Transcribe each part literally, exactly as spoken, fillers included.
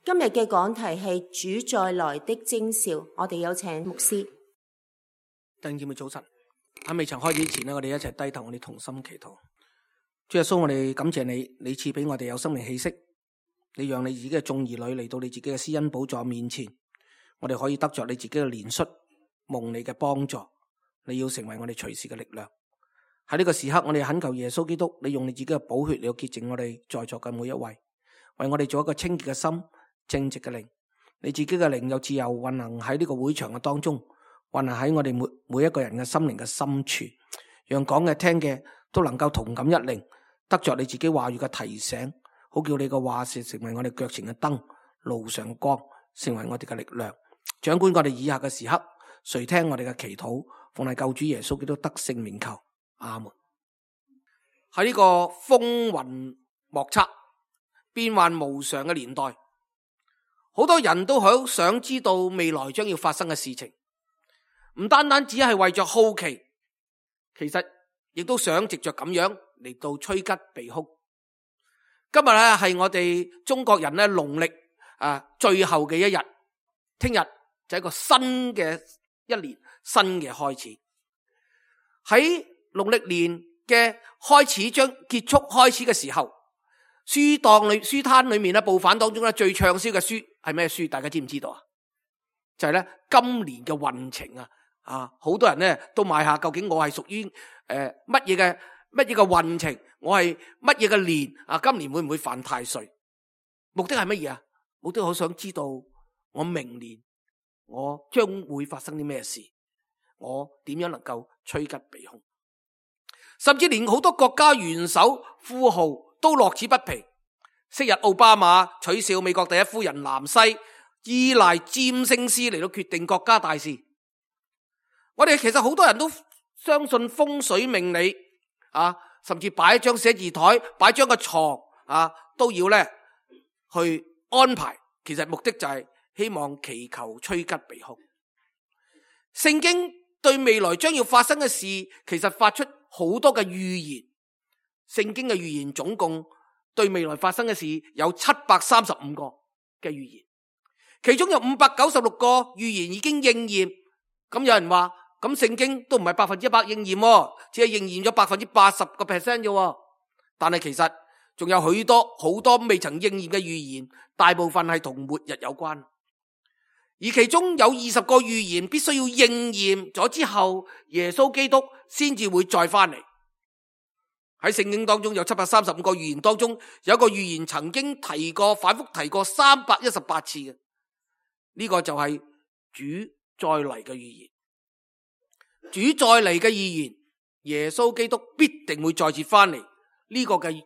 今日嘅講題係主再來的徵兆，我哋有請牧師。弟兄姊妹早晨，喺未曾開始之前呢，我哋一齊低頭，我哋同心祈禱。主耶穌，我哋感謝你，你賜俾我哋有生命氣息，你讓你自己嘅眾兒女嚟到你自己嘅施恩寶座面前，我哋可以得着你自己嘅憐恤，蒙你嘅幫助，你要成為我哋隨時嘅力量。喺呢個時刻，我哋懇求耶穌基督，你用你自己嘅寶血嚟到潔淨我哋在座嘅每一位，為我哋做一個清潔嘅心、正直嘅靈。你自己嘅靈有自由運行喺呢個會場嘅當中，運行喺我哋每每一個人嘅心靈嘅深處，讓講嘅聽嘅都能夠同感一靈，得着你自己話語嘅提醒，好叫你嘅話是成為我哋腳前嘅燈，路上嘅光，成為我哋嘅力量。掌管我哋以下嘅時刻，垂聽我哋嘅祈禱，奉係救主耶穌基督得勝名求，阿門。喺呢個風雲莫測、變幻無常嘅年代，好多人都好想知道未來將要發生嘅事情，唔單單只係為着好奇，其實亦都想藉着咁樣嚟到趨吉避凶。今日咧係我哋中國人咧農曆啊最後嘅一日，聽日就係一個新嘅一年，新嘅開始。喺農曆年嘅開始將結束開始嘅時候，書檔裏書攤裏面咧報販當中咧最暢銷嘅書係咩書？大家知唔知道啊？就係咧今年嘅運程啊！啊，好多人咧都買下，究竟我係屬於誒乜嘢嘅乜嘢嘅運程？我係乜嘢嘅年啊？今年會唔會犯太歲？目的係乜嘢啊？目的好想知道我明年我將會發生啲咩事，我點樣能夠趨吉避凶？甚至連好多國家元首富豪都樂此不疲。昔日奧巴馬取笑美國第一夫人南西，依賴占星師嚟到決定國家大事。我哋其實好多人都相信風水命理啊，甚至擺一張寫字台，擺張個床啊，都要咧去安排。其實目的就係希望祈求趨吉避凶。聖經對未來將要發生嘅事，其實發出好多嘅預言。聖經嘅預言總共對未來發生嘅事有七百三十五個嘅預言，其中有五百九十六個預言已經應驗。咁有人話，咁聖經都唔係百分之一百應驗，只係應驗咗百分之八十個 percent 啫。但係其實仲有許多好多未曾應驗嘅預言，大部分係同末日有關。而其中有二十個預言必須要應驗咗之後，耶穌基督先至會再翻嚟。喺聖經當中有七百三十五個預言當中，有一個預言曾經提過，反覆提過三百一十八次嘅，呢個就係主再嚟嘅預言。主再嚟嘅預言，耶穌基督必定會再次翻嚟。呢個嘅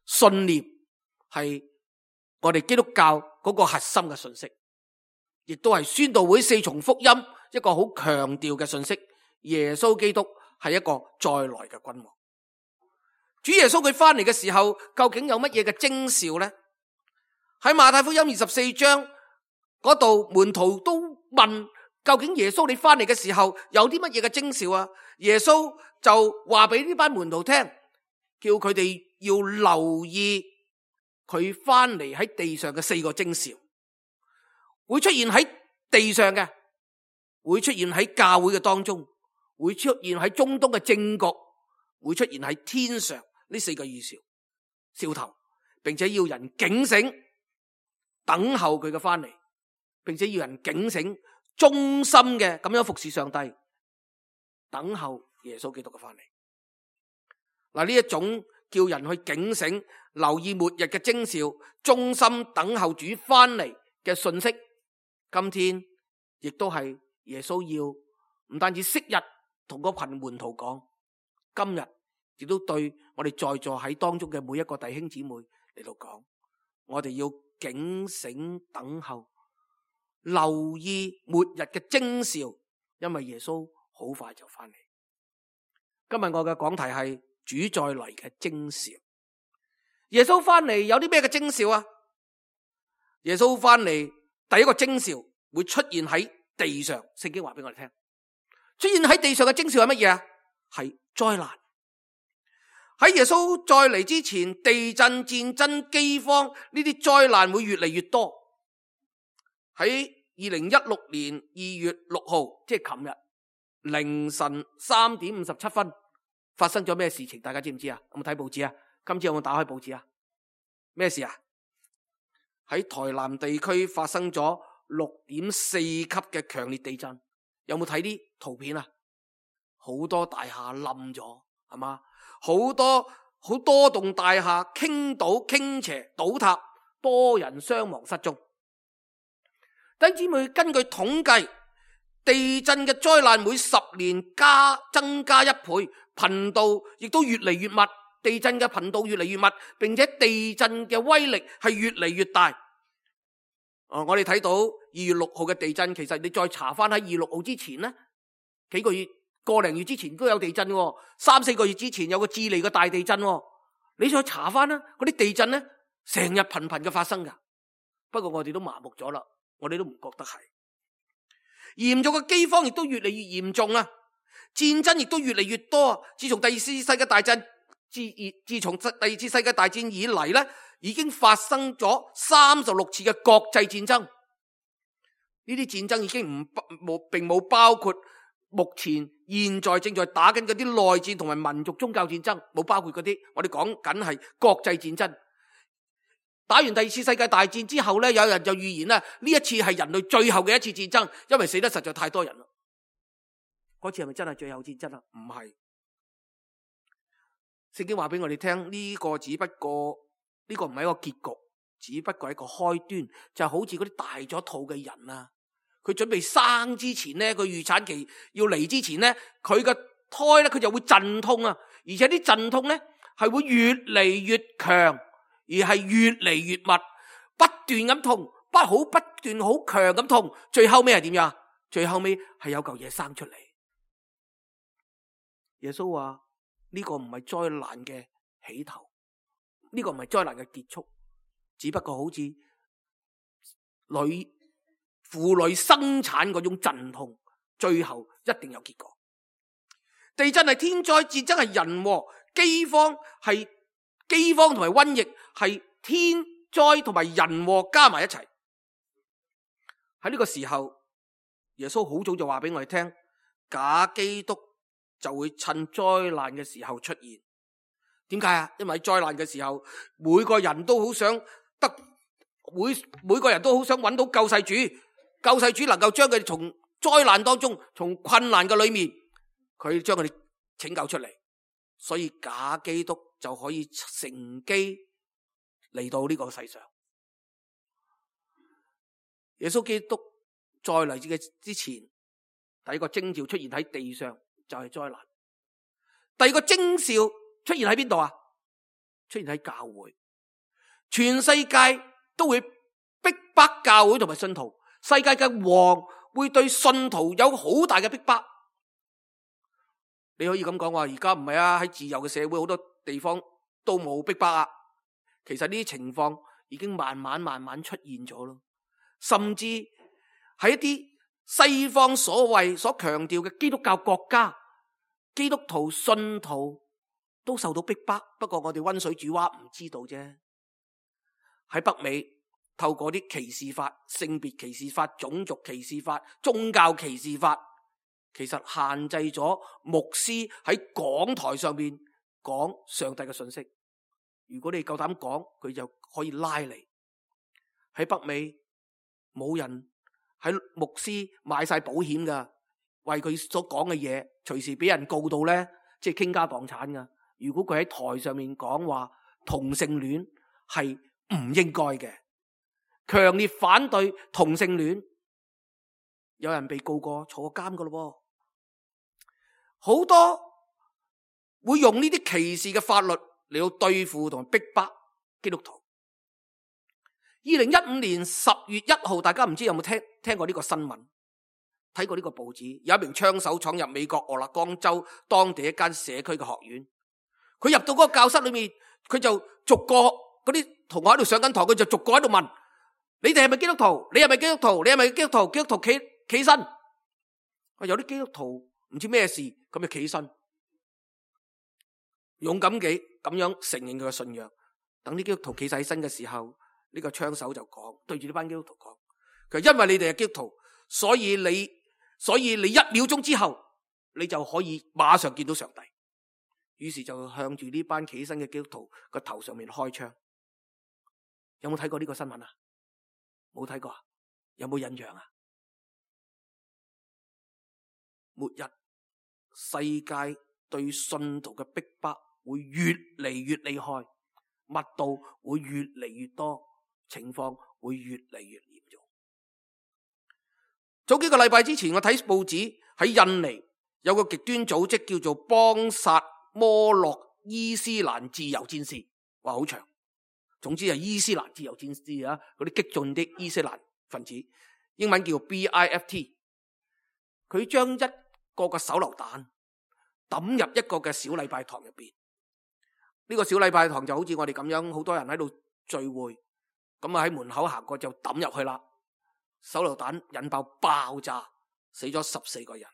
信念係我哋基督教嗰個核心嘅信息，亦都係宣道會四重福音一個好強調嘅信息。耶穌基督係一個再來嘅君王。主耶穌佢翻嚟嘅時候，究竟有乜嘢嘅徵兆呢？喺馬太福音二十四章嗰度，門徒都問，究竟耶穌你翻嚟嘅時候有啲乜嘢嘅徵兆啊？耶穌就話俾呢班門徒聽，叫佢哋要留意佢翻嚟喺地上嘅四個徵兆，會出現喺地上嘅，會出現喺教會嘅當中，會出現喺中東嘅政局，會出現喺天上。呢四個預兆兆頭，並且要人警醒，等候佢嘅翻嚟，並且要人警醒，忠心嘅咁樣服侍上帝，等候耶穌基督嘅翻嚟。嗱，呢一種叫人去警醒、留意末日嘅徵兆、忠心等候主翻嚟嘅信息，今天亦都係耶穌要唔單止昔日同嗰群門徒講，今日亦都對我哋在座喺當中嘅每一個弟兄姊妹嚟到講，我哋要警醒等候，留意末日嘅徵兆，因為耶穌好快就翻嚟。今日我嘅講題係主再嚟嘅徵兆。耶穌翻嚟有啲咩嘅徵兆啊？耶穌翻嚟第一個徵兆會出現喺地上，聖經話俾我哋聽，出現喺地上嘅徵兆係乜嘢啊？係災難。喺耶穌再嚟之前，地震、戰爭、饑荒呢啲災難會越嚟越多。喺二零一六年二月六號，即係琴日凌晨三點五十七分發生咗咩事情？大家知唔知啊？有冇睇報紙啊？今朝有冇打開報紙啊？咩事啊？喺台南地區發生咗六點四級嘅強烈地震，有冇睇啲圖片啊？好多大廈冧咗，係嘛？好多好多棟大廈傾倒、傾斜、倒塌，多人傷亡失蹤。弟兄姊妹，根據統計，地震嘅災難每十年加增加一倍，頻度亦都越嚟越密。地震嘅頻度越嚟越密，並且地震嘅威力係越嚟越大。哦，我哋睇到二月六號嘅地震，其實你再查翻喺二月六號之前呢，幾個月、個零月之前都有地震喎，三四個月之前有個智利嘅大地震喎。你再查翻啦，嗰啲地震呢，成日頻頻嘅發生噶。不過我哋都麻木咗啦，我哋都唔覺得係。嚴重嘅饑荒亦都越嚟越嚴重啊，戰爭亦都越嚟越多。自從第二次世界大戰自自從第二次世界大戰以嚟咧，已經發生咗三十六次嘅國際戰爭。呢啲戰爭已經唔冇並冇包括目前現在正在打緊嗰啲內戰同埋民族宗教戰爭，冇包括嗰啲。我哋講緊係國際戰爭。打完第二次世界大戰之後咧，有人就預言啦，呢一次係人類最後嘅一次戰爭，因為死得實在太多人啦。嗰次係咪真係最後戰爭啊？唔係。聖經話俾我哋聽，呢個只不過呢個唔係一個結局，只不過係一個開端，就好似嗰啲大咗肚嘅人啊，佢準備生之前咧，佢預產期要嚟之前咧，佢嘅胎咧佢就會陣痛啊，而且啲陣痛咧係會越嚟越強，而係越嚟越密，不斷咁痛，不好不斷好強咁痛，最後尾係點樣？最後尾係有嚿嘢生出嚟。耶穌話呢個唔係災難嘅起頭，呢個唔係災難嘅結束，只不過好似女婦女生產嗰種陣痛，最後一定有結果。地震係天災，戰爭係人禍，饑荒係饑荒同埋瘟疫係天災同埋人禍加埋一齊。喺呢個時候，耶穌好早就話俾我哋聽，假基督就會趁災難嘅時候出現。點解啊？因為喺災難嘅時候，每個人都好想得，每每個人都好想揾到救世主，救世主能夠將佢哋從災難當中，從困難嘅裏面，佢將佢哋拯救出嚟。所以假基督就可以乘機嚟到呢個世上。耶穌基督再嚟嘅之前，第一個徵兆出現喺地上，就係災難。第二個徵兆出現喺邊度啊？出現喺教會，全世界都會逼迫教會同埋信徒。世界嘅王會對信徒有好大嘅逼迫。你可以咁講話，而家唔係啊，喺自由嘅社會，好多地方都冇逼迫啊。其實呢啲情況已經慢慢慢慢出現咗咯。甚至喺一啲西方所謂所強調嘅基督教國家，基督徒信徒都受到逼迫，不過我哋溫水煮蛙唔知道啫。喺北美透過啲歧視法、性別歧視法、種族歧視法、宗教歧視法，其實限制咗牧師喺講台上面講上帝嘅信息。如果你夠膽講，佢就可以拉你。喺北美冇人喺牧師買晒保險噶，為佢所講嘅嘢隨時俾人告到咧，即係傾家蕩產噶。如果佢喺台上面講話同性戀係唔應該嘅，強烈反對同性戀，有人被告過坐過監噶咯。好多會用呢啲歧視嘅法律嚟到對付同埋逼迫基督徒。二零一五年十月一號，大家唔知有冇聽聽過呢個新聞，睇過呢個報紙？有一名槍手闖入美國俄勒岡州當地一間社區嘅學院，佢入到嗰個教室裏面，佢就逐個嗰啲同學喺度上緊堂，佢就逐個喺度問：你哋係咪基督徒？你係咪基督徒？你係咪基督徒？基督徒企企身。有啲基督徒唔知咩事，咁就企身，勇敢嘅咁樣承認佢嘅信仰。等啲基督徒企晒起身嘅時候，呢個槍手就講，對住呢班基督徒講，佢話因為你哋係基督徒，所以你所以你一秒鐘之後，你就可以馬上見到上帝。於是就向住呢班企起身嘅基督徒個頭上面開槍。有冇睇過呢個新聞啊？冇睇過啊？有冇印象啊？末日世界對信徒嘅逼迫會越嚟越厲害，密度會越嚟越多，情況會越嚟越嚴重。早幾個禮拜之前，我睇報紙喺印尼有個極端組織叫做邦薩摩洛伊斯蘭自由戰士，話好長。總之係伊斯蘭自由戰士啊，嗰啲激進的伊斯蘭分子，英文叫 B I F T。佢將一個嘅手榴彈抌入一個嘅小禮拜堂入邊。呢個小禮拜堂就好似我哋咁樣，好多人喺度聚會，咁啊喺門口行過就抌入去啦。手榴彈引爆爆炸，死咗十四個人。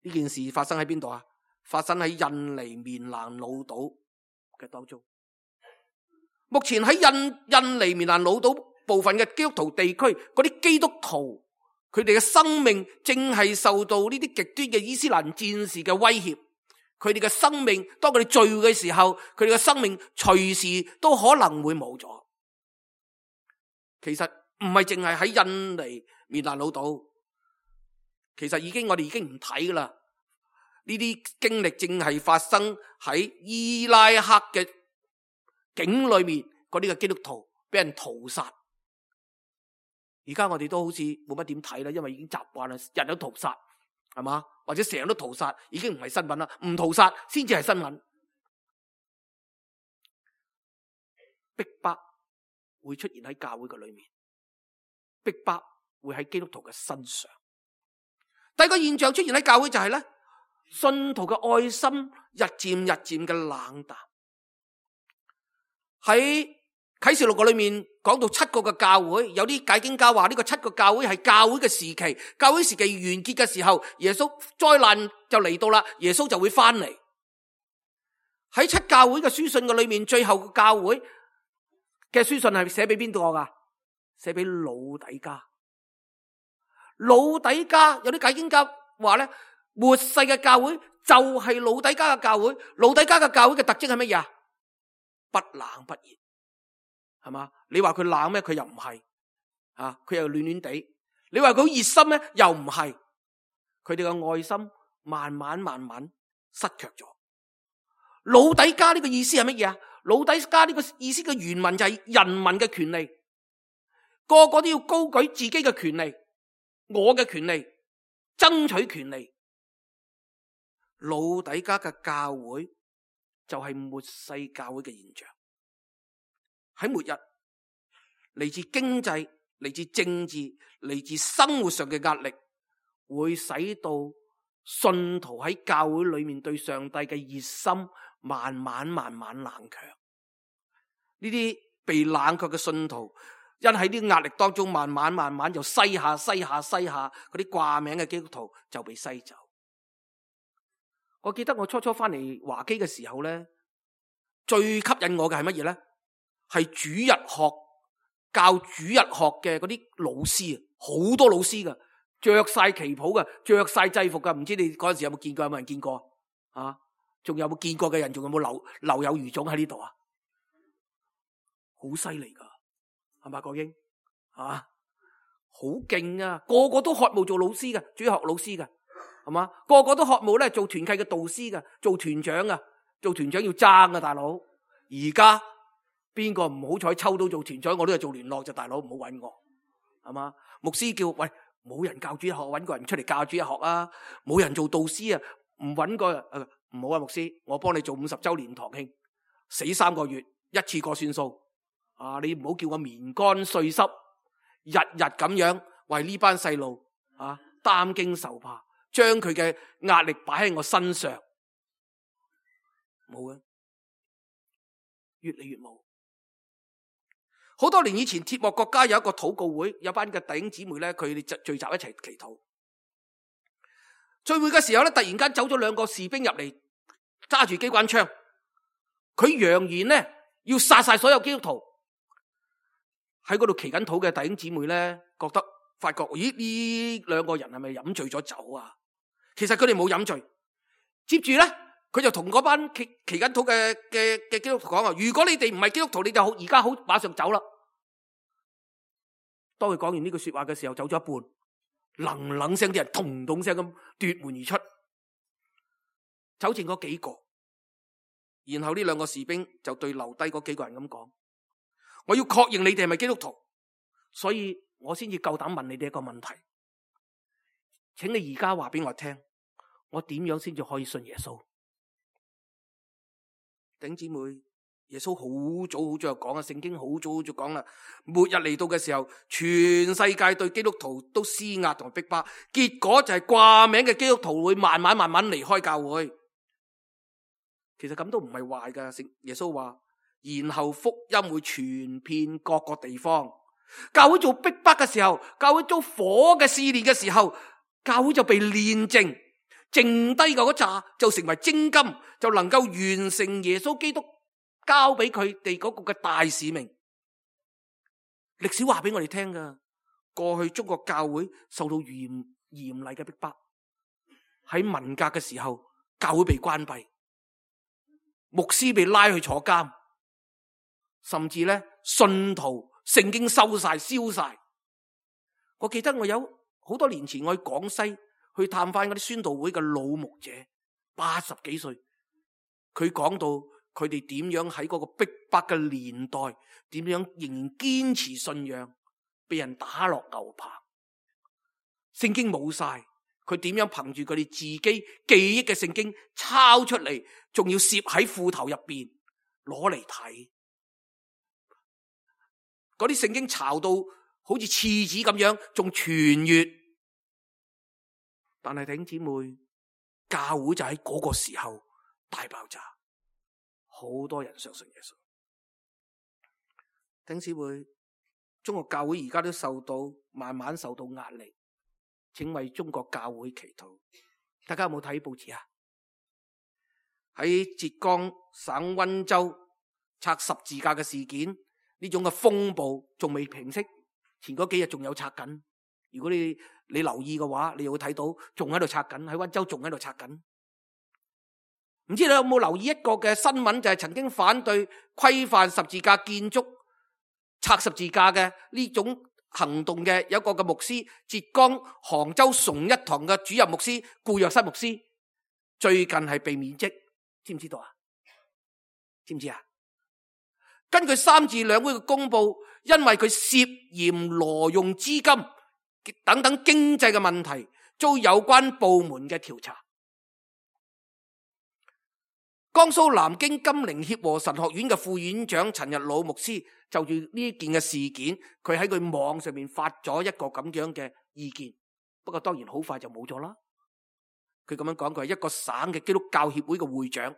呢件事發生喺邊度啊？發生喺印尼棉蘭老島嘅當中。目前喺印印尼棉蘭老島部分嘅基督徒地區，嗰啲基督徒佢哋嘅生命正係受到呢啲極端嘅伊斯蘭戰士嘅威脅。佢哋嘅生命，當佢哋聚會嘅時候，佢哋嘅生命隨時都可能會冇咗。其實唔係淨係喺印尼棉蘭老島，其實已經我哋已經唔睇噶啦。呢啲經歷正係發生喺伊拉克嘅境裏面，嗰啲嘅基督徒俾人屠殺。而家我哋都好似冇乜點睇啦，因為已經習慣啦，人都屠殺，係嘛？或者成日都屠殺，已經唔係新聞啦，唔屠殺先至係新聞。逼迫會出現喺教會嘅裏面，逼迫會喺基督徒嘅身上。第二個現象出現喺教會就係咧，信徒嘅愛心日漸日漸嘅冷淡。喺啟示錄嘅裏面講到七個嘅教會，有啲解經家話呢個七個教會係教會嘅時期，教會時期完結嘅時候，耶穌災難就嚟到啦，耶穌就會翻嚟。喺七教會嘅書信嘅裏面，最後嘅教會嘅書信係寫俾邊個噶？寫俾老底嘉。老底嘉有啲解經家話咧，末世嘅教會就係老底嘉嘅教會。老底嘉嘅教會嘅特徵係乜嘢啊？不冷不熱，係嘛？你話佢冷咩？佢又唔係，啊，佢又暖暖地。你話佢好熱心咩？又唔係。佢哋嘅愛心慢慢慢慢失卻咗。老底嘉呢個意思係乜嘢啊？老底嘉呢個意思嘅原文就係人民嘅權利，個個都要高舉自己嘅權利，我嘅權利，爭取權利。老底嘉嘅教會就係末世教會嘅現象。喺末日，嚟自經濟、嚟自政治、嚟自生活上嘅壓力，會使到信徒喺教會裏面對上帝嘅熱心慢慢慢慢冷卻。呢啲被冷卻嘅信徒，因喺啲壓力當中慢慢慢慢就篩下篩下篩下，嗰啲掛名嘅基督徒就被篩走。我記得我初初翻嚟華基嘅時候咧，最吸引我嘅係乜嘢咧？係主日學教主日學嘅嗰啲老師啊，好多老師噶，着晒旗袍噶，着晒制服噶。唔知你嗰陣時有冇見過？有冇人見過啊？仲有冇見過嘅人？仲有冇留留有餘種喺呢度啊？好犀利噶，係嘛？國英啊，好勁啊！個個都渴慕做老師噶，主日學老師噶，係嘛？個個都渴慕咧做團契嘅導師噶，做團長啊，做團長要爭啊，大佬。而家邊個唔好彩抽到做團長，我都係做聯絡就，大佬唔好搵我，係嘛？牧師叫喂，冇人教主日學，搵個人出嚟教主日學啊！冇人做導師啊，唔搵個誒唔好啊，牧師，我幫你做五十周年堂慶，死三個月一次過算數啊！你唔好叫我棉乾碎濕，日日咁樣為呢班細路啊擔驚受怕，將佢嘅壓力擺喺我身上，冇啊，越嚟越冇。好多年以前，鐵幕國家有一個禱告會，有班嘅弟兄姊妹咧，佢哋聚集一齊祈禱。聚會嘅時候咧，突然間走咗兩個士兵入嚟，揸住機關槍，佢揚言咧要殺晒所有基督徒。喺嗰度祈緊禱嘅弟兄姊妹咧，覺得發覺，咦，呢兩個人係咪飲醉咗酒啊？其實佢哋冇飲醉。接住咧，佢就同嗰班祈祈緊禱嘅嘅嘅基督徒講啊，如果你哋唔係基督徒，你就好而家好馬上走啦。當佢講完呢句說話嘅時候，走咗一半，冷冷聲啲人咚咚聲咁奪門而出，走剩嗰幾個。然後呢兩個士兵就對留低嗰幾個人咁講：我要確認你哋係咪基督徒，所以我先至夠膽問你哋一個問題，請你而家話俾我聽，我點樣先至可以信耶穌？弟兄姊妹，耶穌好早好早就講啊，聖經好早好早講啦，末日嚟到嘅時候，全世界對基督徒都施壓同埋逼迫，結果就係掛名嘅基督徒會慢慢慢慢離開教會。其實咁都唔係壞噶，耶穌話，然後福音會傳遍各個地方。教會做逼迫嘅時候，教會遭火嘅試煉嘅時候，教會就被煉淨，剩低嘅嗰紮就成為精金，就能夠完成耶穌基督交俾佢哋嗰個嘅大使命。歷史話俾我哋聽噶，過去中國教會受到嚴嚴厲嘅逼迫，喺文革嘅時候，教會被關閉，牧師被拉去坐監，甚至咧信徒聖經收晒燒晒。我記得我有好多年前我去廣西去探翻嗰啲宣道會嘅老牧者，八十幾歲，佢講到佢哋點樣喺嗰個逼迫嘅年代，點樣仍然堅持信仰，被人打落牛棚，聖經冇晒，佢點樣憑住佢哋自己記憶嘅聖經抄出嚟，仲要攝喺褲頭入邊攞嚟睇。嗰啲聖經抄到好似廁紙咁樣，仲傳閱。但係弟兄姊妹，教會就喺嗰個時候大爆炸，好多人相信耶穌。弟兄姊妹，中國教會而家都受到慢慢受到壓力，請為中國教會祈禱。大家有冇睇報紙啊？喺浙江省溫州拆十字架嘅事件，呢種嘅風暴仲未平息，前嗰幾日仲有拆緊。如果你你留意嘅話，你會睇到仲喺度拆緊，喺溫州仲喺度拆緊。唔知你有冇留意一個嘅新聞，就係曾經反對規範十字架建築拆十字架嘅呢種行動嘅有一個嘅牧師，浙江杭州崇一堂嘅主任牧師顧若瑟牧師，最近係被免職，知唔知道啊？知唔知啊？根據三自兩會嘅公布，因為佢涉嫌挪用資金等等經濟嘅問題，遭有關部門嘅調查。江蘇南京金陵協和神學院嘅副院長陳日老牧師就住呢件嘅事件，佢喺佢網上面發咗一個咁樣嘅意見，不過當然好快就冇咗啦。佢咁樣講，佢係一個省嘅基督教協會嘅會長，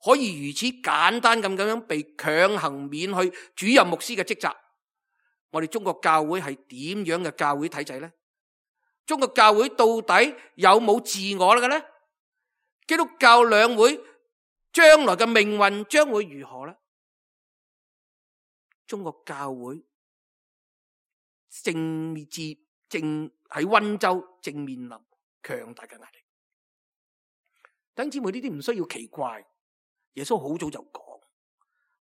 可以如此簡單咁咁樣被強行免去主任牧師嘅職責。我哋中國教會係點樣嘅教會體制呢？中國教會到底有冇自我嘅呢？基督教兩會將來嘅命運將會如何呢？中國教會正接正喺溫州正面臨強大嘅壓力。弟兄姊妹，呢啲唔需要奇怪，耶穌好早就講。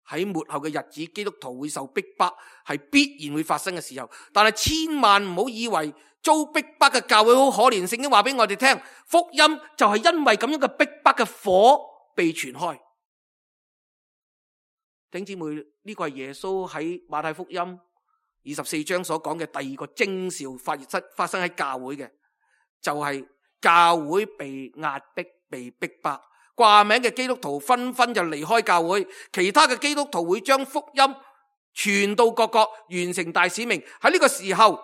喺末後嘅日子，基督徒會受逼迫，係必然會發生嘅時候。但係千萬唔好以為遭逼迫嘅教會好可憐。聖經話俾我哋聽，福音就係因為咁樣嘅逼迫嘅火被傳開。弟兄姊妹，呢個係耶穌喺馬太福音二十四章所講嘅第二個徵兆發生發生喺教會嘅，就係教會被壓迫、被逼迫。掛名嘅基督徒紛紛就離開教會，其他嘅基督徒會將福音傳到各國，完成大使命。喺呢個時候，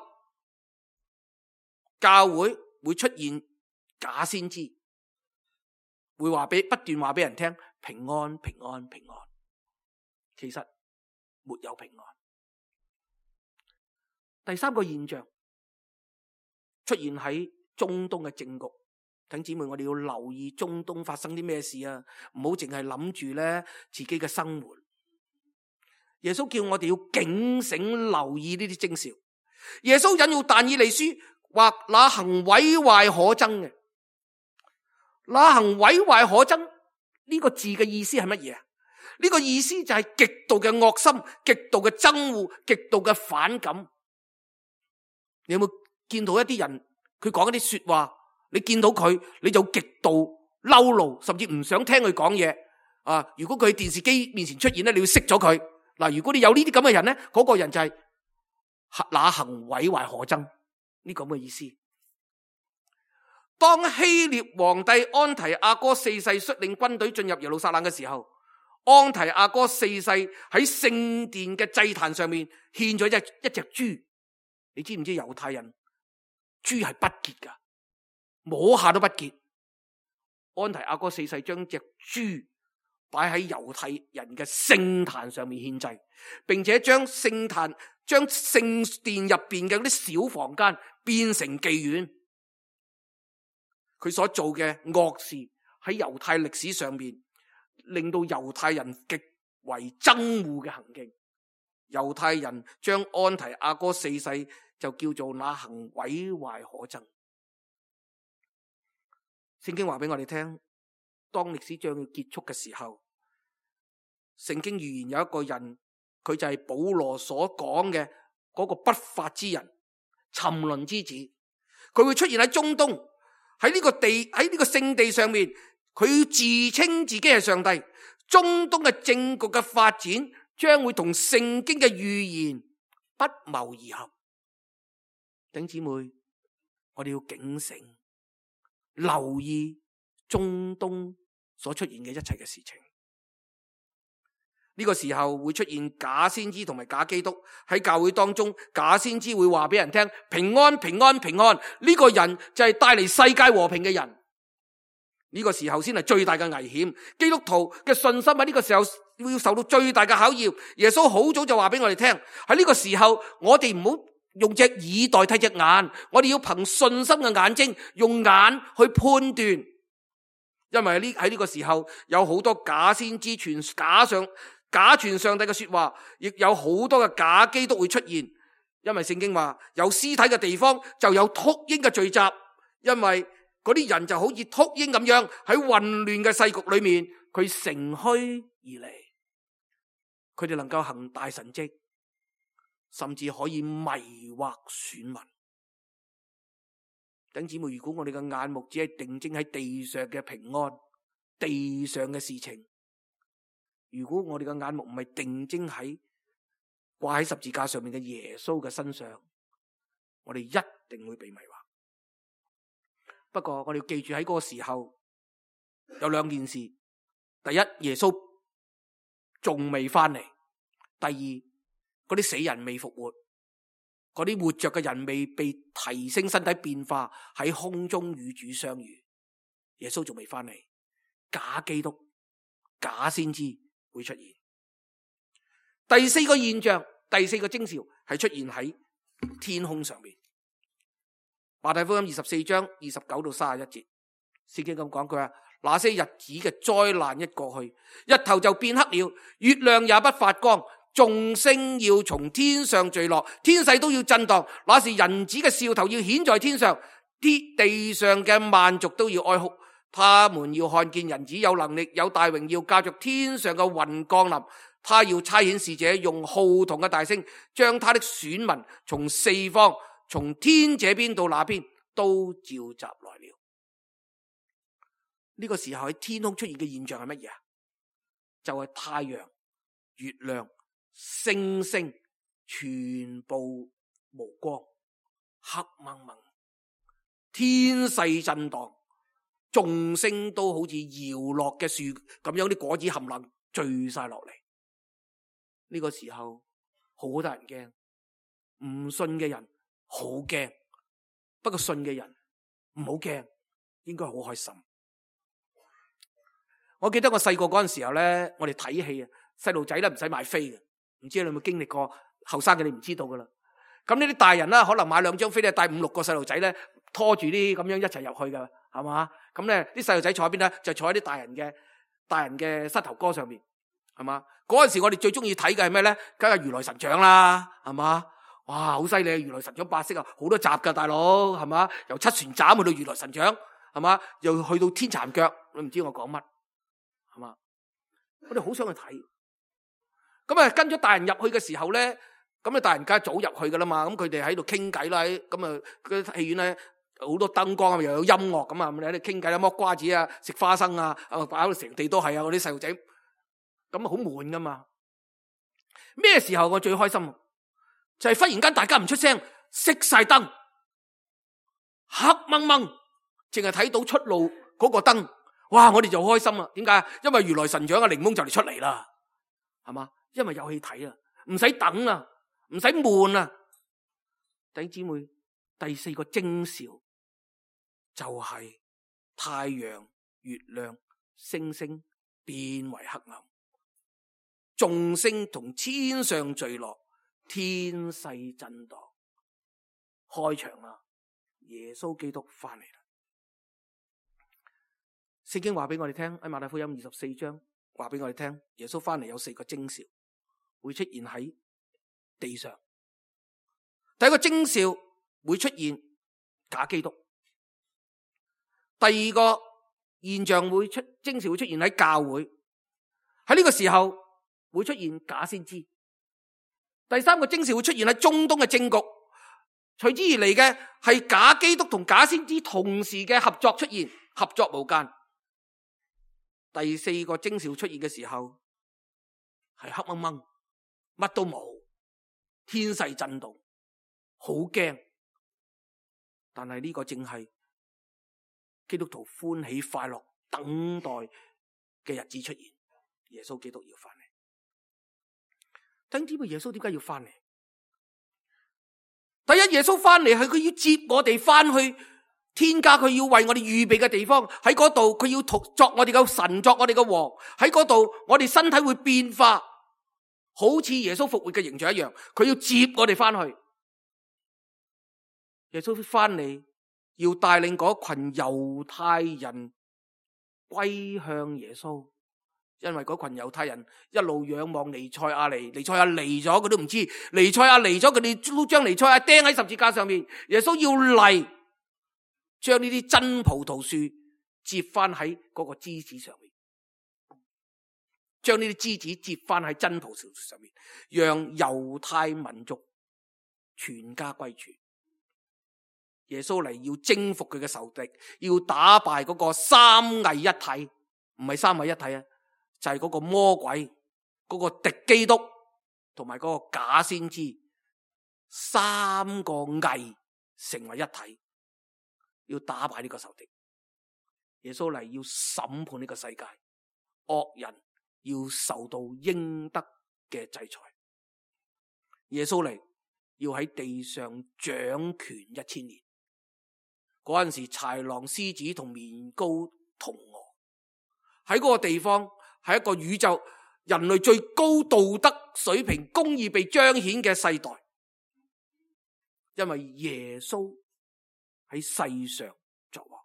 教會會出現假先知，會話俾不斷話俾人聽平安、平安、平安，其實沒有平安。第三個現象出現喺中東嘅政局。弟兄姊妹，我哋要留意中東發生啲咩事啊！唔好淨係諗住咧自己嘅生活。耶穌叫我哋要警醒留意呢啲徵兆。耶穌引用但以理書話那行毀壞可憎嘅，那行毀壞可憎呢個字嘅意思係乜嘢啊？呢個意思就係極度嘅惡心、極度嘅憎惡、極度嘅反感。你有冇見到一啲人佢講一啲說話，你見到佢你就極度嬲怒，甚至唔想聽佢講嘢啊！如果佢喺電視機面前出現咧，你要熄咗佢。嗱，如果你有呢啲咁嘅人咧，嗰個人就係那行毀壞可憎呢咁嘅意思。當希臘皇帝安提阿哥四世率領軍隊進入耶路撒冷嘅時候，安提阿哥四世喺聖殿嘅祭壇上面獻咗一隻一隻豬。你知唔知猶太人豬係不潔噶，摸下都不潔。安提阿哥四世將隻豬擺喺猶太人嘅聖壇上面獻祭，並且將聖壇將聖殿入邊嘅嗰啲小房間變成妓院。佢所做嘅惡事喺猶太歷史上面，令到猶太人極為憎惡嘅行徑。猶太人將安提阿哥四世就叫做那行毀壞可憎。聖經話俾我哋聽，當歷史將要結束嘅時候，聖經預言有一個人，佢就係保羅所講嘅嗰個不法之人，沉淪之子。佢會出現喺中東，喺呢個地，喺呢個聖地上面，佢自稱自己係上帝。中東嘅政局嘅發展將會同聖經嘅預言不謀而合。弟兄姊妹，我哋要警醒，留意中東所出現嘅一切嘅事情。呢個時候會出現假先知同埋假基督喺教會當中，假先知會話俾人聽平安平安平安，呢個人就係帶嚟世界和平嘅人。呢個時候先係最大嘅危險，基督徒嘅信心喺呢個時候要受到最大嘅考驗。耶穌好早就話俾我哋聽，喺呢個時候我哋唔好用隻耳代替隻眼，我哋要憑信心嘅眼睛用眼去判斷。因為喺呢個時候有好多假先知傳假上假傳上帝嘅說話，亦有好多嘅假基督會出現。因為聖經話有屍體嘅地方就有禿鷹嘅聚集，因為嗰啲人就好似禿鷹咁樣喺混亂嘅世局裏面，佢乘虛而嚟，佢哋能夠行大神蹟，甚至可以迷惑選民。弟兄姊妹，如果我哋嘅眼目只係定睛喺地上嘅平安、地上嘅事情，如果我哋嘅眼目唔係定睛喺掛喺十字架上面嘅耶穌嘅身上，我哋一定會被迷惑。不過我哋要記住喺嗰個時候有兩件事：第一，耶穌仲未翻嚟；第二，嗰啲死人未復活，嗰啲活着嘅人未被提升身體變化，喺空中與主相遇。耶穌仲未翻嚟，假基督、假先知會出現。第四個現象，第四個徵兆係出現喺天空上面。馬太福音二十四章二十九到三十一節，聖經咁講，佢話那些日子嘅災難一過去，日頭就變黑了，月亮也不發光，眾星要從天上墜落，天勢都要震盪。那時人子嘅兆頭要顯在天上，啲地上嘅萬族都要哀哭。他們要看見人子有能力、有大榮耀，駕着天上嘅雲降臨。他要差遣使者，用號筒嘅大聲，將他的選民從四方，從天這邊到那邊都召集來了。呢個時候喺天空出現嘅現象係乜嘢啊？就係太陽、月亮、星星全部無光，黑蒙蒙，天勢震盪，眾星都好似搖落嘅樹咁樣，啲果子冚唪唥墜晒落嚟。呢個時候好多人驚，唔信嘅人好驚，不過信嘅人唔好驚，應該好開心。我記得我細個嗰陣時候咧，我哋睇戲啊，細路仔咧唔使買飛嘅，唔知你有冇經歷過？後生嘅你唔知道噶啦。咁呢啲大人啦，可能買兩張飛咧，帶五六個細路仔咧，拖住啲咁樣一齊入去噶，係嘛？咁咧啲細路仔坐喺邊咧，就坐喺啲大人嘅大人嘅膝頭哥上面，係嘛？嗰陣時我哋最中意睇嘅係咩咧？梗係如來神掌啦，係嘛？哇，好犀利！如來神掌八式啊，好多集噶，大佬係嘛？由七旋斬去到如來神掌，係嘛？又去到天殘腳，你唔知我講乜，係嘛？我哋好想去睇。咁啊，跟咗大人入去嘅時候咧，咁啊大人梗係早入去噶啦嘛。咁佢哋喺度傾偈啦，咁啊嗰戲院咧好多燈光啊，又有音樂咁啊，你喺度傾偈啦，剝瓜子啊，食花生啊，啊擺到成地都係啊，嗰啲細路仔，咁啊好悶噶嘛。咩時候我最開心？就係忽然間大家唔出聲，熄晒燈，黑掹掹，淨係睇到出路嗰個燈，哇！我哋就開心啦。點解？因為如來神掌嘅檸檬就嚟出嚟啦，係嘛？因為有戲睇啊，唔使等啊，唔使悶啊。弟兄姊妹，第四個徵兆就係太陽、月亮、星星變為黑暗，眾星同天上墜落。天勢震盪，開場啦！耶穌基督翻嚟啦！聖經話俾我哋聽，喺馬太福音二十四章話俾我哋聽，耶穌翻嚟有四個徵兆會出現喺地上。第一個徵兆會出現假基督，第二個現象會出徵兆會出現喺教會，喺呢個時候會出現假先知。第三個徵兆會出現喺中東嘅政局，隨之而嚟嘅係假基督同假先知同時嘅合作出現，合作無間。第四個徵兆出現嘅時候係黑掹掹，乜都冇，天勢震動，好驚。但係呢個正係基督徒歡喜快樂等待嘅日子出現，耶穌基督要翻嚟。等知唔知耶穌點解要翻嚟？第一，耶穌翻嚟係佢要接我哋翻去天家，佢要為我哋預備嘅地方，喺嗰度佢要作我哋嘅神，作我哋嘅王。喺嗰度我哋身體會變化，好似耶穌復活嘅形象一樣。佢要接我哋翻去。耶穌翻嚟要帶領嗰群猶太人歸向耶穌。因為嗰群猶太人一路仰望彌賽亞嚟，彌賽亞嚟咗佢都唔知，彌賽亞嚟咗佢哋都將彌賽亞釘喺十字架上面。耶穌要嚟將呢啲真葡萄樹接翻喺嗰個枝子上面，將呢啲枝子接翻喺真葡萄樹上面，讓猶太民族全家歸主。耶穌嚟要征服佢嘅仇敵，要打敗嗰個三位一體，唔係三位一體啊！就係嗰個魔鬼，嗰個敵基督同埋嗰個假先知，三個偽成為一體，要打敗呢個仇敵。耶穌嚟要審判呢個世界，惡人要受到應得嘅制裁。耶穌嚟要喺地上掌權一千年。嗰陣時豺狼獅子同綿高同鵝喺嗰個地方。係一個宇宙人類最高道德水平、公義被彰顯嘅世代，因為耶穌喺世上作王。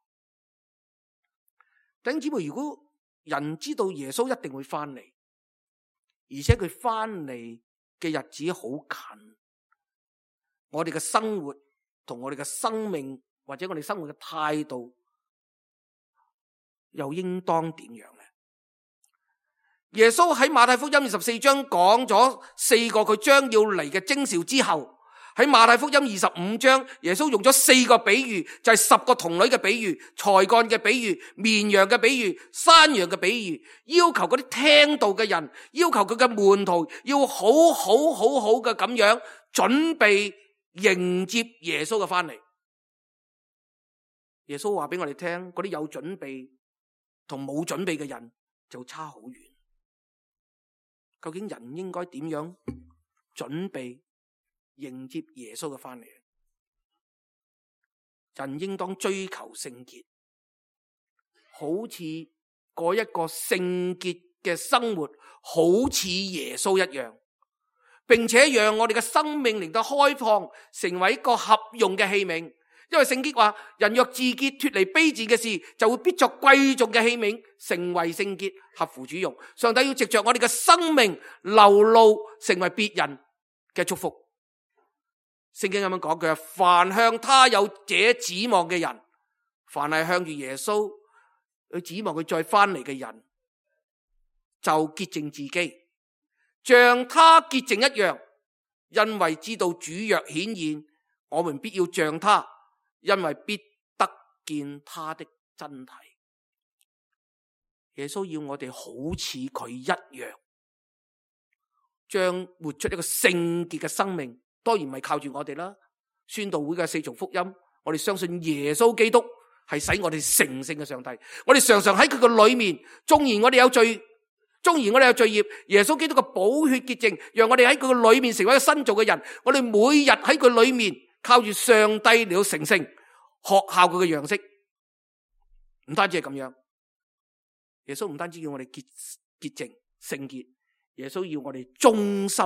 弟兄姊妹，如果人知道耶穌一定會翻嚟，而且佢翻嚟嘅日子好近，我哋嘅生活同我哋嘅生命或者我哋生活嘅態度又應當點樣呢？耶穌喺馬太福音二十四章講咗四個佢將要嚟嘅徵兆之後，喺馬太福音二十五章，耶穌用咗四個比喻，就係十個童女嘅比喻、才幹嘅比喻、綿羊嘅比喻、山羊嘅比喻，要求嗰啲聽道嘅人，要求佢嘅門徒要好好好好嘅咁樣準備迎接耶穌嘅翻嚟。耶穌話俾我哋聽，嗰啲有準備同冇準備嘅人就差好遠。究竟人應該點樣準備迎接耶穌嘅翻嚟？人應當追求聖潔，好似過一個聖潔嘅生活，好似耶穌一樣，並且讓我哋嘅生命令到開放，成為一個合用嘅器皿。因為聖經話，人若自潔脫離卑賤嘅事，就會必作貴重嘅器皿，成為聖潔，合乎主用。上帝要藉着我哋嘅生命流露，成為別人嘅祝福。聖經咁樣講，佢話凡向他有這指望嘅人，凡係向住耶穌去指望佢再翻嚟嘅人，就潔淨自己，像他潔淨一樣。因為知道主若顯現，我們必要像他，因為必得見他的真體。耶穌要我哋好似佢一樣，將活出一個聖潔嘅生命。當然唔係靠住我哋啦，宣道會嘅四重福音，我哋相信耶穌基督係使我哋成聖嘅上帝。我哋常常喺佢嘅裏面，縱然我哋有罪，縱然我哋有罪孽，耶穌基督嘅寶血潔淨，讓我哋喺佢嘅裏面成為一個新造嘅人。我哋每日喺佢裏面靠住上帝嚟到成聖，學效佢嘅樣式。唔單止係咁樣，耶穌唔單止要我哋潔潔淨聖潔，耶穌要我哋忠心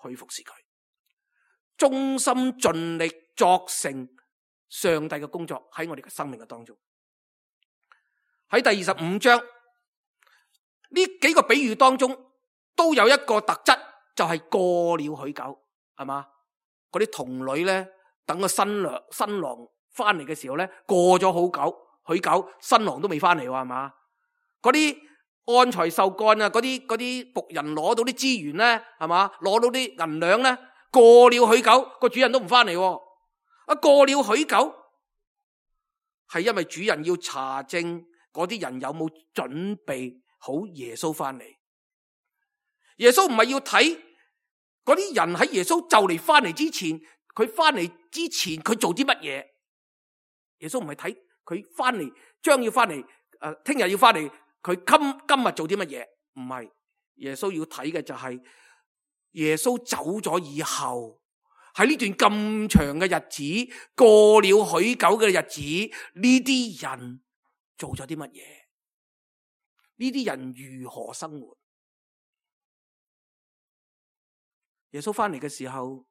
去服侍佢，忠心盡力作成上帝嘅工作喺我哋嘅生命嘅當中。喺第二十五章呢幾個比喻當中，都有一個特質，就係、是、過了許久，係嘛？嗰啲童女咧，等個新娘新郎翻嚟嘅時候咧，過咗好久，許久新郎都未翻嚟，係嘛？嗰啲按財受幹啊，嗰啲嗰啲僕人攞到啲資源咧，係嘛？攞到啲銀兩咧，過了許久，個主人都唔翻嚟。啊，過了許久，係因為主人要查證嗰啲人有冇準備好耶穌翻嚟。耶穌唔係要睇嗰啲人喺耶穌就嚟翻嚟之前，佢翻嚟之前佢做啲乜嘢。耶穌唔係睇佢翻嚟將要翻嚟，誒，聽日要翻嚟，佢今今日做啲乜嘢？唔係，耶穌要睇嘅就係耶穌走咗以後，喺呢段咁長嘅日子，過了許久嘅日子，呢啲人做咗啲乜嘢？呢啲人如何生活？耶穌翻嚟嘅時候，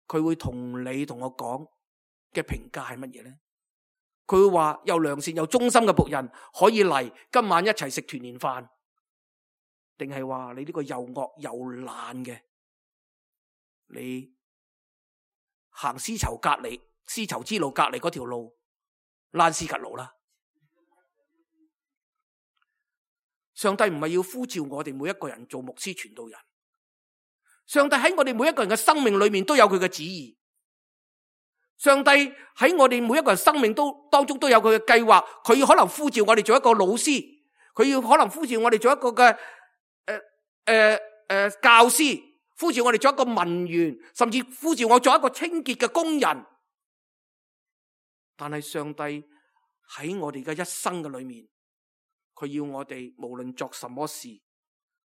佢會同你同我講嘅評價係乜嘢咧？佢會話又良善又忠心嘅僕人可以嚟今晚一齊食團年飯，定係話你呢個又惡又懶嘅，你行絲綢隔離絲綢之路隔離嗰條路爛絲吉路啦？上帝唔係要呼召我哋每一個人做牧師傳道人，上帝喺我哋每一個人嘅生命裏面都有佢嘅旨意。上帝喺我哋每一個人生命都當中都有佢嘅計劃，佢要可能呼召我哋做一個老師，佢要可能呼召我哋做一個嘅誒誒誒教師，呼召我哋做一個文員，甚至呼召我做一個清潔嘅工人。但係上帝喺我哋嘅一生嘅裏面，佢要我哋無論作什麼事，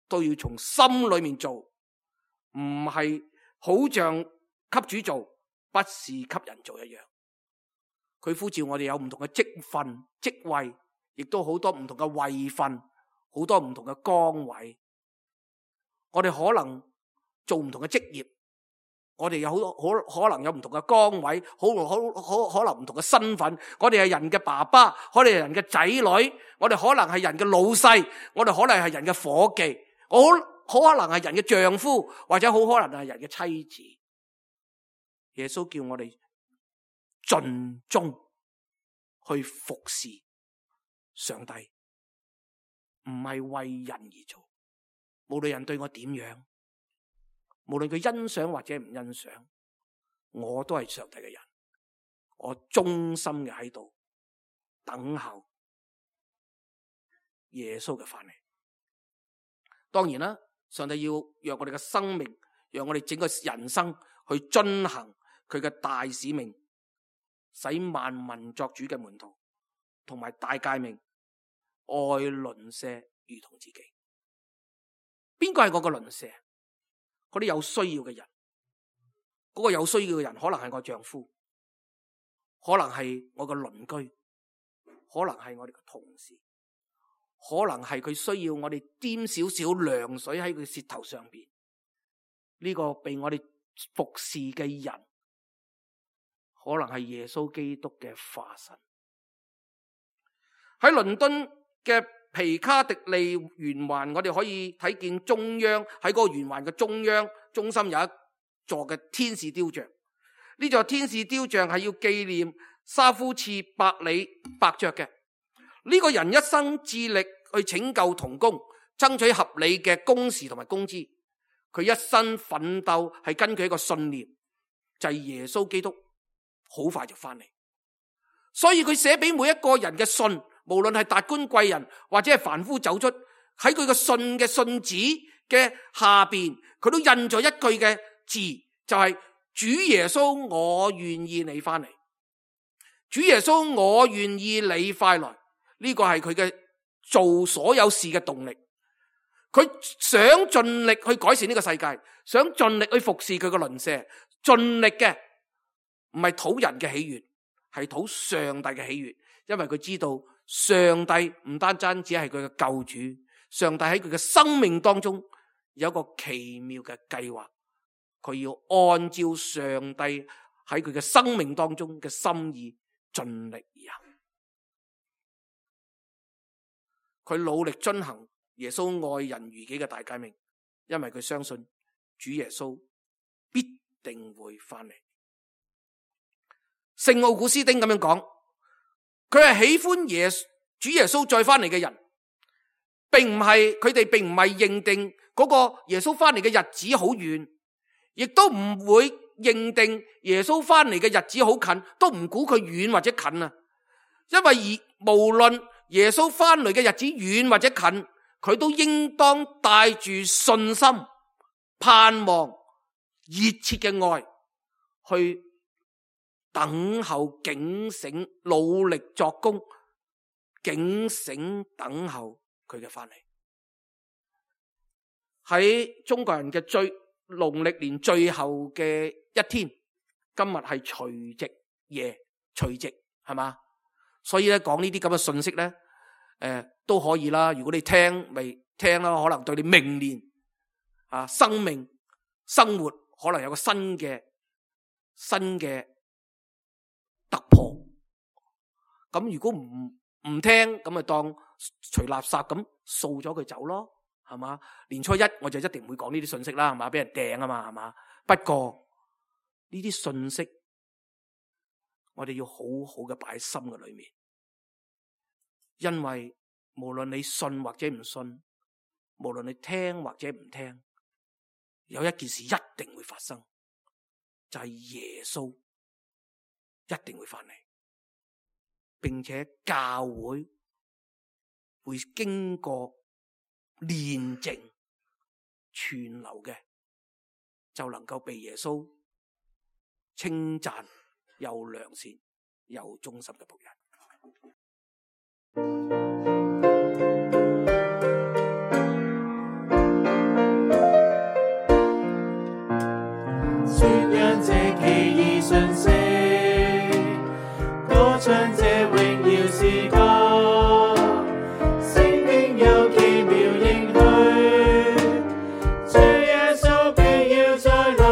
都要從心裏面做，唔係好像給主做，不是給人做一樣。佢呼召我哋有唔同嘅職份、職位，亦都好多唔同嘅位份，好多唔同嘅崗位。我哋可能做唔同嘅職業，我哋有好多可可能有唔同嘅崗位，好好好可能唔同嘅身份。我哋係人嘅爸爸，我哋係人嘅仔女，我哋可能係人嘅老細，我哋可能係人嘅伙計，我好可能係人嘅丈夫，或者好可能係人嘅妻子。耶穌叫我哋盡忠去服侍上帝，唔係為人而做。無論人對我點樣，無論佢欣賞或者唔欣賞，我都係上帝嘅人，我忠心嘅喺度等候耶穌嘅翻嚟。當然啦，上帝要讓我哋嘅生命，讓我哋整個人生去遵行佢嘅大使命，使萬民作主嘅門徒，同埋大誡命，愛鄰舍如同自己。邊個係我個鄰舍？嗰啲有需要嘅人，嗰個有需要嘅人可能係我丈夫，可能係我個鄰居，可能係我哋嘅同事，可能係佢需要我哋掂少少涼水喺佢舌頭上邊。呢個被我哋服侍嘅人，可能係耶穌基督嘅化身。喺倫敦嘅皮卡迪利圓環，我哋可以睇見中央，喺嗰個圓環嘅中央中心有一座嘅天使雕像。呢座天使雕像係要紀念沙夫次百里伯爵嘅。呢個人一生致力去拯救童工，爭取合理嘅工時同埋工資。佢一生奮鬥係根據一個信念，就係耶穌基督好快就翻嚟。所以佢寫俾每一個人嘅信，無論係達官貴人或者係凡夫走卒，喺佢嘅信嘅信紙嘅下邊，佢都印咗一句嘅字，就係主耶穌，我願意你翻嚟。主耶穌，我願意你快來。呢個係佢嘅做所有事嘅動力。佢想盡力去改善呢個世界，想盡力去服侍佢嘅鄰舍，盡力嘅唔係討人嘅喜悅，係討上帝嘅喜悅。因為佢知道上帝唔單單只係佢嘅救主，上帝喺佢嘅生命當中有一個奇妙嘅計劃，佢要按照上帝喺佢嘅生命當中嘅心意盡力而行。佢努力遵行耶穌愛人如己嘅大誡命，因為佢相信主耶穌必定會翻嚟。聖奧古斯丁咁樣講，佢係喜歡耶主耶穌再翻嚟嘅人，並唔係佢哋並唔係認定嗰個耶穌翻嚟嘅日子好遠，亦都唔會認定耶穌翻嚟嘅日子好近，都唔估佢遠或者近啊。因為而無論耶穌翻嚟嘅日子遠或者近，佢都應當帶住信心、盼望、熱切嘅愛去等候、警醒、努力作工，警醒等候佢嘅翻嚟。喺中國人嘅最農曆年最後嘅一天，今日係除夕夜，除夕係嘛？所以咧講呢啲咁嘅信息咧，誒、呃、都可以啦。如果你聽咪聽啦，可能對你明年啊生命生活可能有個新嘅新嘅突破。咁如果唔唔聽，咁咪當除垃圾咁掃咗佢走咯，係嘛？年初一我就一定唔會講呢啲信息啦，係嘛？俾人掟啊嘛，係嘛？不過呢啲信息我哋要好好嘅擺喺心嘅裏面，因為無論你信或者唔信，無論你聽或者唔聽，有一件事一定會發生，就係耶穌一定會翻嚟，並且教會會經過煉淨存留嘅，就能夠被耶穌稱讚又良善又忠心嘅僕人。宣揚這奇異訊息，歌唱這榮耀詩歌，聖經有奇妙應許，主耶穌必要再來，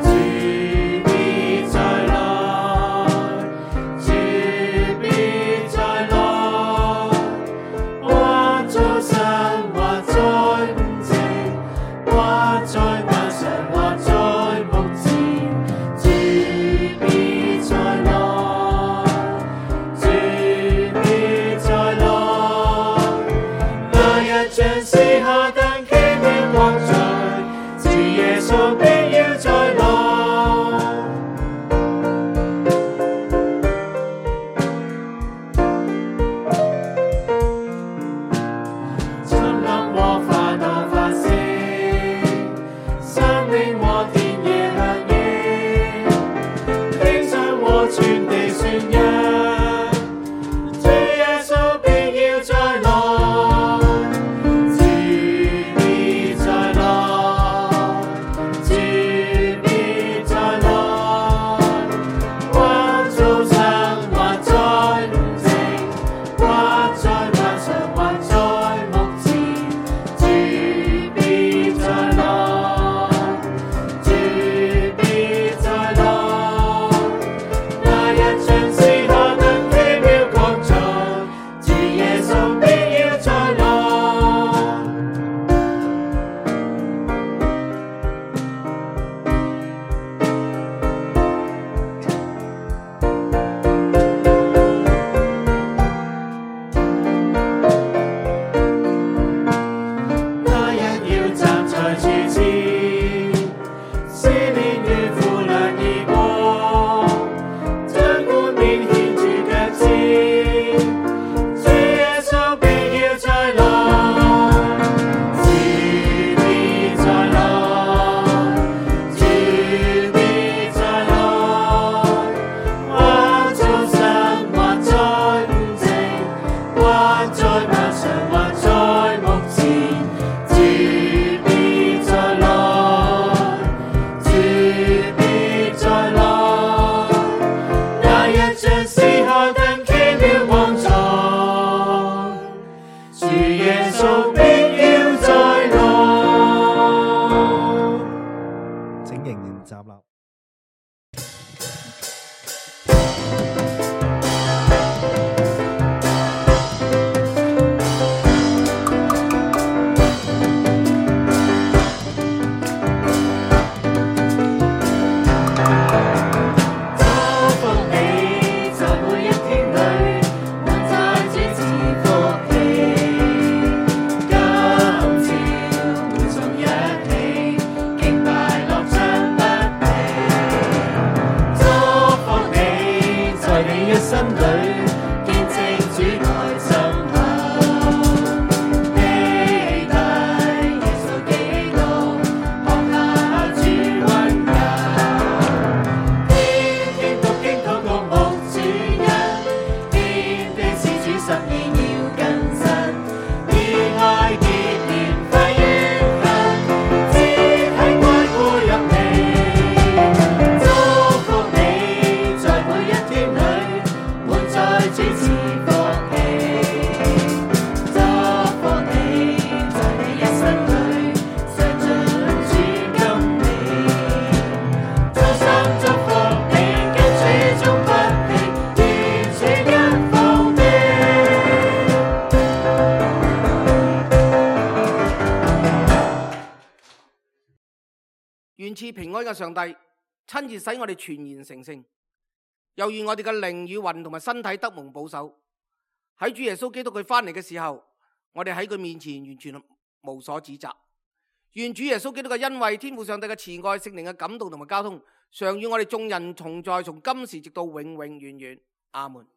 主必再來，主必再來。願賜平安嘅上帝親自使我哋全然成聖，又願我哋嘅靈與魂同埋身體得蒙保守。喺主耶穌基督佢翻嚟嘅時候，我哋喺佢面前完全無所指責。願主耶穌基督嘅恩惠、天父上帝嘅慈愛、聖靈嘅感動同埋交通，常與我哋眾人同在，從今時直到永永遠遠。阿門。